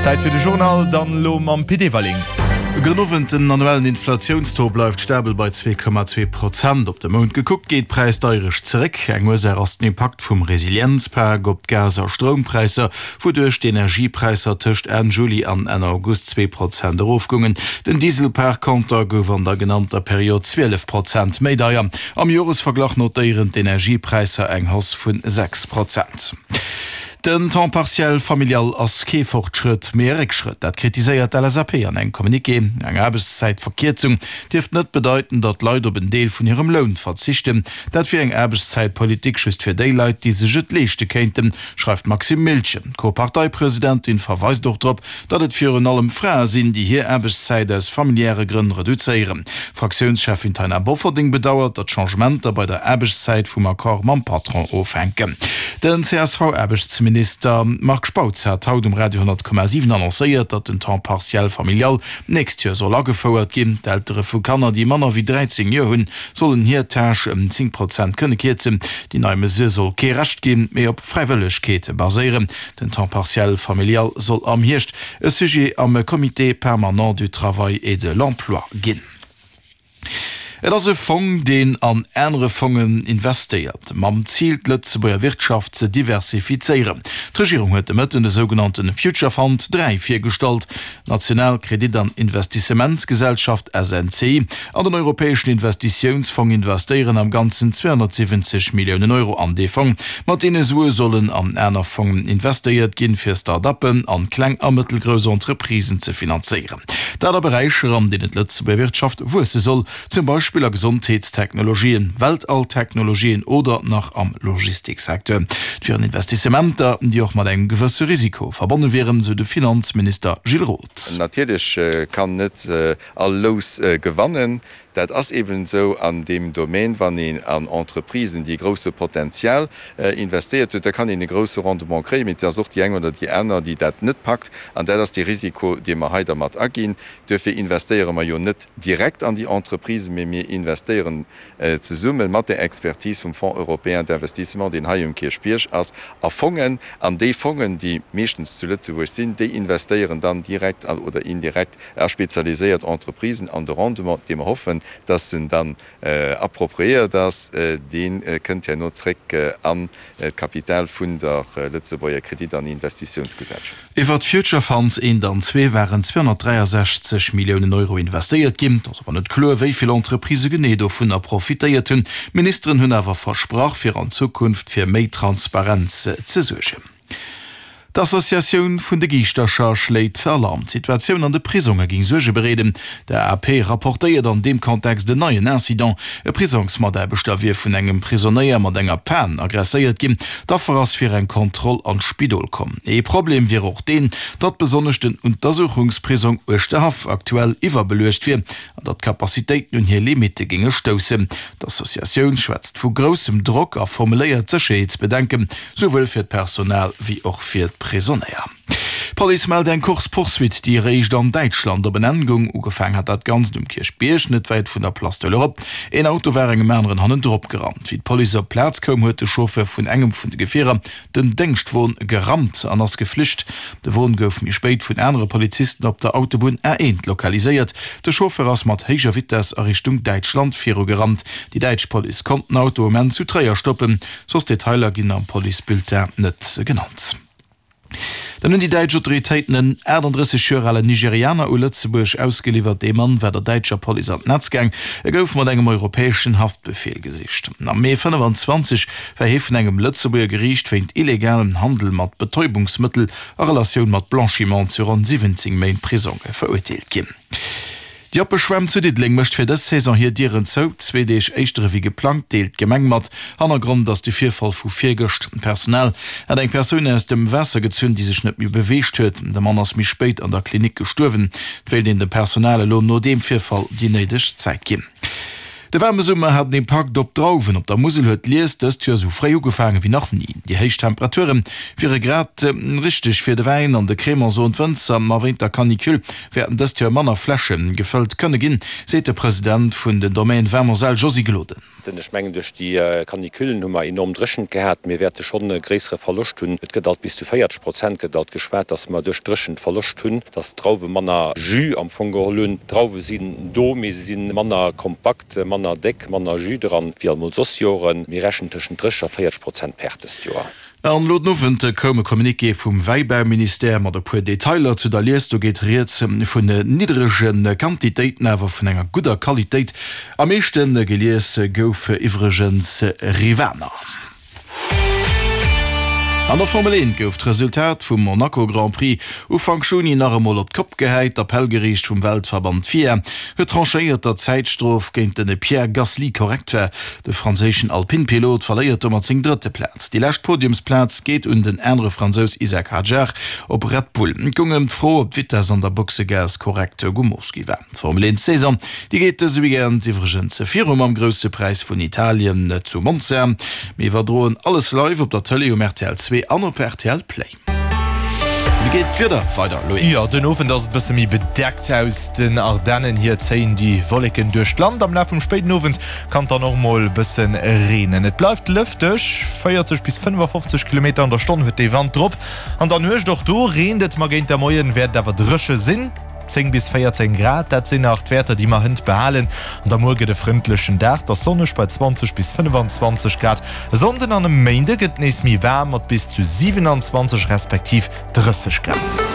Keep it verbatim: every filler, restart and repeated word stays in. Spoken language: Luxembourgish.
Zäit fir de Journal, dann elo mam Pit Everling. Gudden Owend, Den annuellen Inflatiounstaux bleift stabel bei zwee Komma zwee Prozent. Op de Mount gekuckt geet d'Präisdeierecht zeréck. Eng Ursaach ass den Impakt vum Resilienzpak op d'Gas a Stroumpräisser, wouduerch d'Energiepräisser tëscht Enn Juli an Enn August zwee Prozent erofgoungen. Den Diesel par Konter gouf an der genannter Period zwielef Prozent méi deier. Am Joresverglach notéieren d'Energiepräisser eng Hausse vun sechs Prozent. Den Temps partiel familial ass kee Fortschrëtt, mee e Réckschrëtt. Dat kritiséiert d'L S A P an engem Communiqué. Eng Aarbechtszäitverkierzung dierft net bedeiten, datt Leit op en Deel vun hirem Loun verzichten. Dat wier eng Aarbechtszäitpolitik just fir déi Leit, déi sech et leeschte kéinten, schreift d'Maxime Miltgen. D'Co-Parteipresidentin verweist och drop, datt et virun allem Frae sinn, déi hir Aarbechtszäit aus familiäre Grënn reduzéieren. Fraktiounscheffin Taina Bofferding bedauert, datt Changementer bei der Aarbechtszäit vum Accord mam Patron ofhänken. Den C S V-Aarbechtsminister Marc Spautz hat haut um Radio honnert Komma siwen annoncéiert, datt den Temps partiel familial d'nächst Joer soll agefouert ginn. D'Eltere vu Kanner, déi manner wéi dräizéng Joer hunn, sollen hir Tâche ëm zéng Prozent kënne kierzen. Déi nei Mesure soll kee Recht ginn, mee op Fräiwëllegkeet baséieren. Den Temps partiel familial soll am Hierscht e Sujet am Comité permanent du travail et de l'emploi ginn. Et ass e Fong, deen an anere Fongen investéiert, mam Zil, d'Lëtzebuerger Wirtschaft ze diversifizéieren. D'Regierung huet de Mëtten de sougenannte Future Fund dräi virgestallt. D'National Kredit an Investissementsgesellschaft, S N C I, an den Europäeschen Investitiounsfong investéieren am Ganzen zweehonnertsiwwenzeg Milliounen Euro an dee Fong. Mat deene Sue sollen an aner Fongen investéiert ginn, fir Start-uppen an kleng a mëttelgrouss Entreprisen ze finanzéieren. Dat a Beräicher, an deenen d'Lëtzebuerger Wirtschaft wuesse soll, zum Beispill a Gesondheetstechnologien, Weltalltechnologien oder nach am Logistiksecteur. Et wieren Investissementer, déi och mat engem gewësse Risiko verbonne wieren, sou de Finanzminister Gilles Roth. Natierlech kann net all Lous gewannen. Dat ass eben esou an deem Domaine, wann een an Entreprisen, déi e grousse Potenzial investéiert huet, da kann een e grousse Rendement kréien, mee et ass och déi eng oder déi aner, déi dat net packt. An dat ass dee Risiko, dee mer hei dermat aginn. Duerfir investéiere mer jo net direkt an déi Entreprisen, mee mir investéieren zesumme mat der Expertise vum Fonds européen d'investissement, deen hei um Kierchbierg ass, a Fongen. An déi Fongen, déi meeschtens zu Lëtzebuerg sinn, déi investéieren dann direkt oder indirekt a spezialiséiert Entreprisen. An de Rendement, dee mer hoffen, dass en dann appropriéiert ass, dee kënnt herno zréck an d'Kapital vun der Lëtzebuerger Kredit an Investitiounsgesellschaft. Iwwer d'Future Funds eent an zwee waren zweehonnertdräiasechzeg Milliounen Euro investéiert ginn. Et ass awer net kloer, wéi vill Entreprisë genee dovunner profitéiert hunn. D'Ministeren hunn awer versprach, fir an Zukunft fir méi Transparenz ze suergen. D'Associatioun vun de Giischtercher schléit Alarm. D'Situatioun an de Prisonge géing Suerge bereeden. De A P rapportéiert an deem Kontext en neien Incident. E Prisongsmataarbechter wier vun engem Prisonéier mat enger Pan aggresséiert ginn. D'Affer ass fir eng Kontroll an d'Spidol komm. Ee Problem wier och deen, datt besonnesch den Untersuchungsprisong Uerschterhaff aktuell iwwerbeluecht wier an datt d'Capacitéiten un hir Limitte géinge stoussen. D'Associatioun schwätzt vu groussem Drock a formuléiert Sécherheetsbedenken, souwuel fir d'Personal wéi och fir d'Prisonéier. D'Police mellt eng Course-poursuite, déi eréischt an Däitschland op en Enn goung. Ugefaang hat dat Ganzt um Kierchbierg, net wäit vun der Place de l'Europe. Een Auto war engem aneren hannendrop gerannt. Wéi d'Police op d'Plaz koum, huet de Chauffeur vun engem vun de Gefierer den Déngschtwon gerammt an ass geflücht. De Won gouf méi spéit vun anere Polizisten op der Autobunn A eent lokaliséiert. De Chauffeur ass mat héijer Vitess a Richtung Däitschland virugerannt. Déi däitsch Police konnt den Auto um Enn zu Tréier stoppen. Soss Detailer ginn am Policebulletin net genannt. Dann hunn déi däitsch Autoritéiten en achtandrësseg Joer alen Nigerianer u Lëtzebuerg ausgeliwwert. Dee Mann war der däitscher Police an d'Netz gaang. E gouf mat engem europäeschen Haftbefeel gesicht. Am Mee fënnefanzwanzeg war hie vun engem Lëtzebuerger Geriicht wéint illegalem Handel mat Betäubungsmëttel a Relatioun mat Blanchiment zu ronn siwwenzéng Méint Prisong verurteelt ginn. Déi oppe Schwämm zu Diddeleng mécht fir dës Saison hir Dieren zou, zwee Deeg éischter ewéi geplangt, deelt d'Gemeng mat. Hannergrond ass de Virfall vu virgëscht. D'Personal hat eng Persoun aus dem Waasser gezunn, déi sech net méi beweegt huet. De Mann ass méi spéit an der Klinik gestuerwen. Et wéilt een dem Personal elo no deem Virfall déi néideg Zäit ginn. De waarme Summer hat en Impakt op d'Drauwen. Op der Musel huet d'Lies dëst Joer sou fréi ugefaange wéi nach ni. Déi héich Temperature wiere grad richteg fir de Wäin an de Crémant, soen d'Wënzer. Ma wéint der Canicule wäerten dëst Joer manner Fläsche gefëllt kënne ginn, seet de President vun den Domaines Vin Moselle Josy Gloden. Ech mengen, duerch déi Canicullen hu mer enorm Dréchent gehat. Mir wäerte schonn e gréissere Verloscht hunn. Et gëtt alt bis zu véierzeg Prozent gëtt alt geschwat, datt mer duerch d'Dréchent Verloscht hunn, datt d'Drauwe manner Jus am Fong geholl hunn. D'Drauwe sinn do, mee se si manner kompakt, manner déck, manner Jus dran wéi alt mol soss Joren. Mir rechnen tëschent dréisseg a véierzeg Prozent Perte dëst Joer. An elo den Owend koum e Communiqué vum Wäibauministère mat e puer Detailer zu der Lies. Do geet rieds vun nidderege Quantitéiten, awer vun enger gudder Qualitéit. Am meeschte gelies gouf iwwregens Rivaner. An der Formel eent gouf d'Resultat vum Monaco Grand Prix Ufank Juni nach emol op d'Kopp gehäit. D'Appellgeriicht vum Weltverband FIA huet tranchéiert, datt d'Zäitstrof géint de Pierre Gasly korrekt war. De franséischen Alpine-Pilot verléiert domat seng drëtte Plaz. Déi lescht Podiumsplaz geet un den anere Fransous Isack Hadjar op Red Bull. Et goung ëm d'Fro, ob d'Vitess an der Boxegaass korrekt gemooss gi war. D'Formel eent Saison, déi geet dëse Weekend iwwregens viru mam Grousse Präis vun Italien zu Monza. Mir iwwerdroen alles live op der Tëlee um rtl zwee an op rtl Play. Wéi geet d'Wieder weider, Loïc? Jo, den Owend ass et bësse méi bedeckt. Aus den Ardennen hier zéien déi Wolleken duerch d'Land. Am Laf vum spéiden Owend kann et dann och mol bësse reenen. Et bleift lëfteg, véierzeg bis fënnefafofzeg Kilometer an der Stonn huet dee Wand drop. An der Nuecht och do reent et, ma géint der Moien wäert et awer dréche sinn. Zéng bis véierzéng Grad, dat sinn nach d'Wäerter, déi mer hënt behalen. An da muer gëtt e frëndlechen Dag, et ass sonneg bei zwanzeg bis fënnefanzwanzeg Grad. E Sonnden an e Méinde gëtt et nees méi waarm mat bis zu siwenanzwanzeg respektiv drësseg Grad.